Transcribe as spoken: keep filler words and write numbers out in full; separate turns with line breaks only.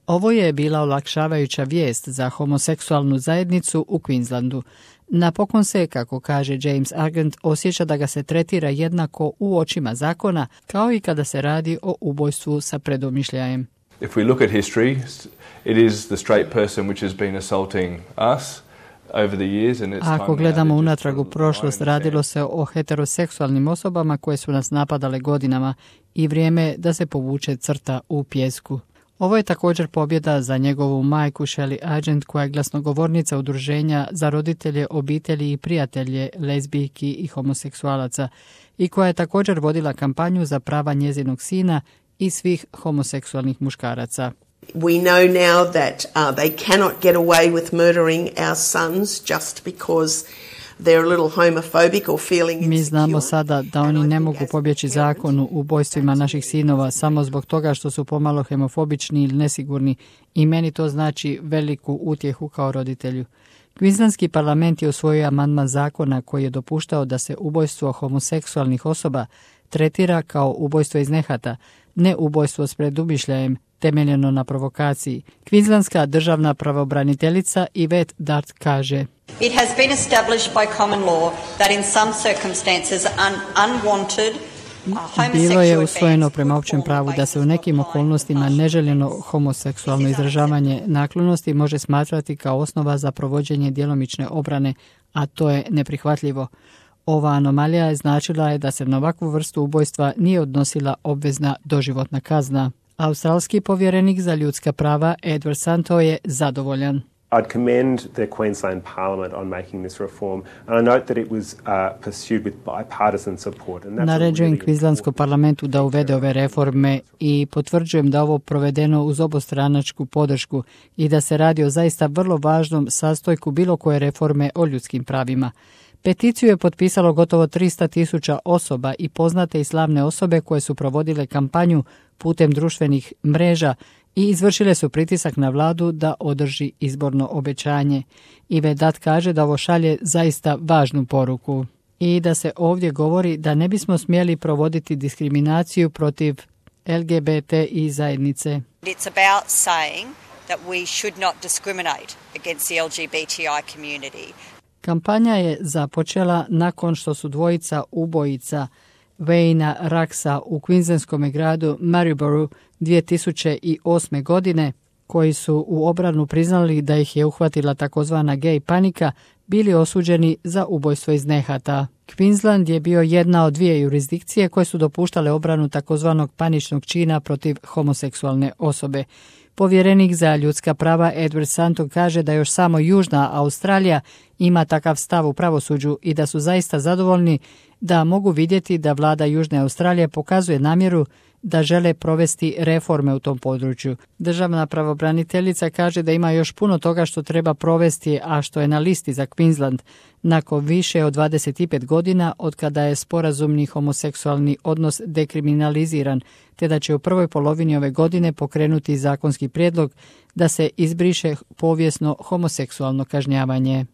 Ovo je bila olakšavajuća vijest za homoseksualnu zajednicu u Queenslandu. Napokon se, kako kaže James Argent, osjeća da ga se tretira jednako u očima zakona, kao i kada se radi o ubojstvu sa predomišljajem.
If we look at history, it is the straight person which has been assaulting us over the years, and it's time.
Ako gledamo unatrag u prošlost, radilo se o heteroseksualnim osobama koje su nas napadale godinama i vrijeme je da se povuče crta u pijesku. Ovo je također pobjeda za njegovu majku Shelley Argent, koja je glasnogovornica udruženja za roditelje, obitelji i prijatelje lezbijki i homoseksualaca i koja je također vodila kampanju za prava njezinog sina i svih homoseksualnih muškaraca.
We know now that uh, they cannot get away with murdering our sons just because they're a little homophobic or feeling insecure.
Mi znamo sada da oni ne mogu pobjeći zakonu u ubojstvima naših sinova samo zbog toga što su pomalo homofobični ili nesigurni i meni to znači veliku utjehu kao roditelju. Queenslandski parlament je usvojio amandman zakona koji je dopuštao da se ubojstvo homoseksualnih osoba tretira kao ubojstvo iz nehata, ne ubojstvo s predumišljajem temeljeno na provokaciji. Queenslandska državna pravobraniteljica Yvette Dart kaže:
It has been established by common law that in some circumstances un unwanted
Bilo je usvojeno prema općem pravu da se u nekim okolnostima neželjeno homoseksualno izražavanje naklonosti može smatrati kao osnova za provođenje djelomične obrane, a to je neprihvatljivo. Ova anomalija je značila je da se na ovakvu vrstu ubojstva nije odnosila obvezna doživotna kazna. Australski povjerenik za ljudska prava Edward Santo je zadovoljan.
I'd commend the Queensland Parliament on making this reform, and I note that it was uh, pursued with bipartisan support.
Naređujem Queenslandskom parlamentu da uvede ove reforme i potvrđujem da ovo provedeno uz obostranačku podršku i da se radi o zaista vrlo važnom sastojku bilo koje reforme o ljudskim pravima. Peticiju je potpisalo gotovo tristo tisuća osoba i poznate i slavne osobe koje su provodile kampanju putem društvenih mreža i izvršile su pritisak na vladu da održi izborno obećanje. Yvette Dart kaže da ovo šalje zaista važnu poruku i da se ovdje govori da ne bismo smjeli provoditi diskriminaciju protiv L G B T i zajednice.
It's about saying that we should not discriminate against the L G B T I community.
Kampanja je započela nakon što su dvojica ubojica Wayna Raksa u Queenslandskom gradu Maryborough dvije tisuće osme. godine, koji su u obranu priznali da ih je uhvatila takozvana gej panika, bili osuđeni za ubojstvo iz nehata. Queensland je bio jedna od dvije jurisdikcije koje su dopuštale obranu takozvanog paničnog čina protiv homoseksualne osobe. Povjerenik za ljudska prava Edward Santo kaže da još samo Južna Australija ima takav stav u pravosuđu i da su zaista zadovoljni da mogu vidjeti da vlada Južne Australije pokazuje namjeru da žele provesti reforme u tom području. Državna pravobraniteljica kaže da ima još puno toga što treba provesti, a što je na listi za Queensland nakon više od dvadeset pet godina od kada je sporazumni homoseksualni odnos dekriminaliziran, te da će u prvoj polovini ove godine pokrenuti zakonski prijedlog da se izbriše povijesno homoseksualno kažnjavanje.